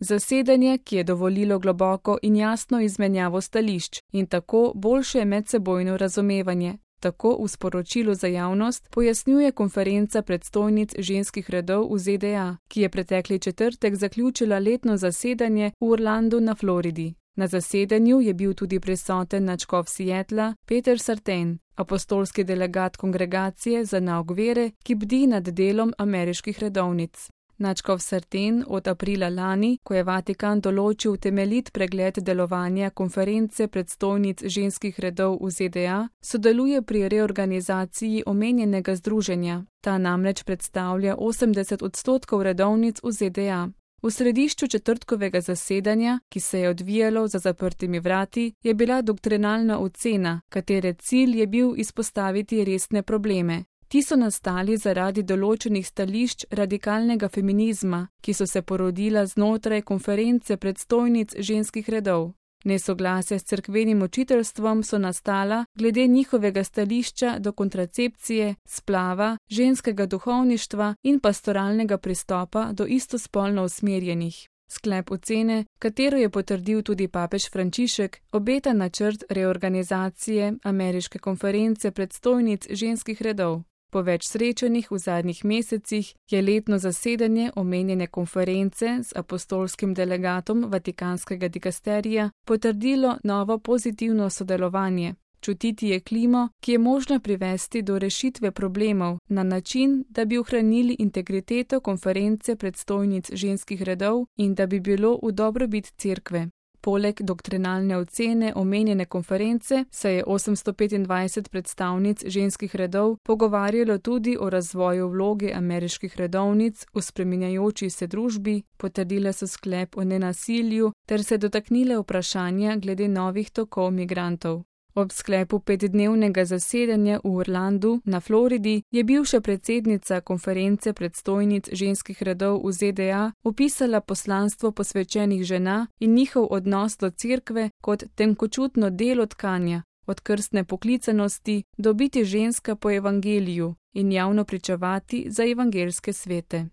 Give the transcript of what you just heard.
Zasedanje, ki je dovolilo globoko in jasno izmenjavo stališč in tako boljše medsebojno razumevanje. Tako v sporočilu za javnost pojasnjuje konferenca predstojnic ženskih redov v ZDA, ki je pretekli četrtek zaključila letno zasedanje v Orlandu na Floridi. Na zasedanju je bil tudi prisoten nadškof Seattla Peter Sartain, apostolski delegat kongregacije za nauk vere, ki bdi nad delom ameriških redovnic. Nadškof Sartain od aprila lani, ko je Vatikan določil temeljit pregled delovanja konference predstojnic ženskih redov v ZDA, sodeluje pri reorganizaciji omenjenega združenja. Ta namreč predstavlja 80% redovnic v ZDA. V središču četrtkovega zasedanja, ki se je odvijalo za zaprtimi vrati, je bila doktrinalna ocena, katere cilj je bil izpostaviti resne probleme. Ti so nastali zaradi določenih stališč radikalnega feminizma, ki so se porodila znotraj konference predstojnic ženskih redov. Nesoglasja s cerkvenim učiteljstvom so nastala glede njihovega stališča do kontracepcije, splava, ženskega duhovništva in pastoralnega pristopa do istospolno usmerjenih. Sklep ocene, katero je potrdil tudi papež Frančišek, obeta načrt reorganizacije ameriške konference predstojnic ženskih redov. Po več srečanjih v zadnjih mesecih je letno zasedanje omenjene konference z apostolskim delegatom Vatikanskega dikasterija potrdilo novo pozitivno sodelovanje. Čutiti je klimo, ki je možno privesti do rešitve problemov na način, da bi ohranili integriteto konference predstojnic ženskih redov in da bi bilo v dobrobit cerkve. Poleg doktrinalne ocene omenjene konference se je 825 predstavnic ženskih redov pogovarjalo tudi o razvoju vloge ameriških redovnic v spreminjajoči se družbi, potrdile so sklep o nenasilju ter se dotaknile vprašanja glede novih tokov migrantov. Ob sklepu 5-dnevnega zasedanja v Orlandu na Floridi je bivša predsednica konference predstojnic ženskih redov v ZDA opisala poslanstvo posvečenih žena in njihov odnos do cerkve kot tenkočutno delo tkanja, od krstne poklicanosti do biti ženska po evangeliju in javno pričevati za evangeljske svete.